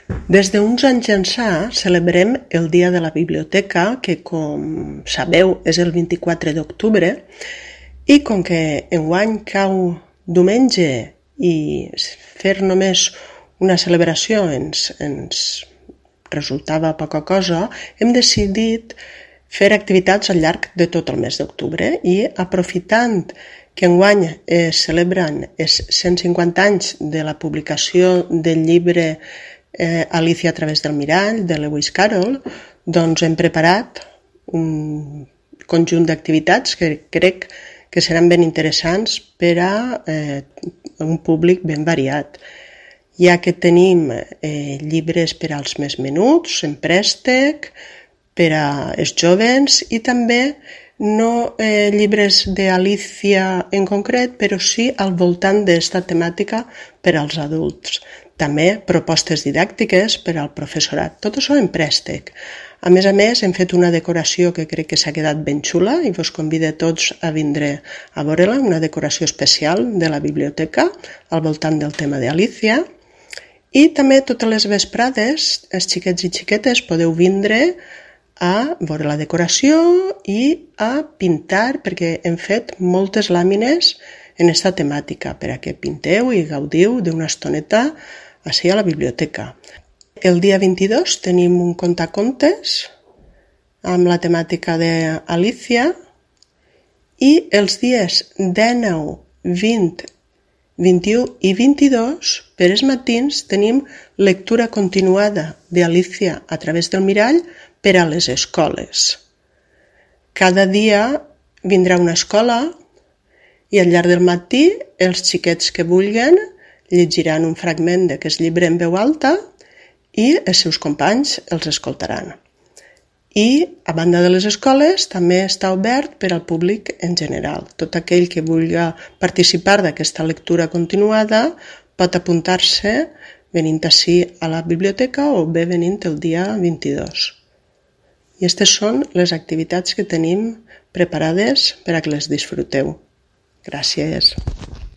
Des d'uns anys ençà celebrem el Dia de la Biblioteca, que com sabeu és el 24 d'octubre, i com que enguany cau diumenge i fer només una celebració ens resultava poca cosa, hem decidit fer activitats al llarg de tot el mes d'octubre i aprofitant que enguany es celebren els 150 anys de la publicació del llibre Alicia a través del mirall, de Lewis Carroll, doncs hem preparat un conjunt d'activitats que crec que seran ben interessants per a un públic ben variat, ja que tenim llibres per als més menuts, en préstec, per als joves i també no llibres d'Alicia en concret, però sí al voltant d'esta temàtica per als adults. També propostes didàctiques per al professorat. Tot això en préstec. A més, hem fet una decoració que crec que s'ha quedat ben xula i vos convido a tots a vindre a veure-la, una decoració especial de la biblioteca al voltant del tema d'Alicia. I també totes les vesprades, els xiquets i xiquetes, podeu vindre a veure la decoració i a pintar, perquè hem fet moltes làmines en aquesta temàtica, per a que pinteu i gaudiu d'una estoneta així a la biblioteca. El dia 22 tenim un contacontes amb la temàtica d'Alicia i els dies 19, 20, 21 i 22 per als matins tenim lectura continuada d'Alicia a través del mirall per a les escoles. Cada dia vindrà una escola i al llarg del matí els xiquets que vulguin llegiran un fragment d'aquest llibre en veu alta i els seus companys els escoltaran. I, a banda de les escoles, també està obert per al públic en general. Tot aquell que vulgui participar d'aquesta lectura continuada pot apuntar-se venint ací a la biblioteca o bé venint el dia 22. I aquestes són les activitats que tenim preparades per a que les disfruteu. Gràcies.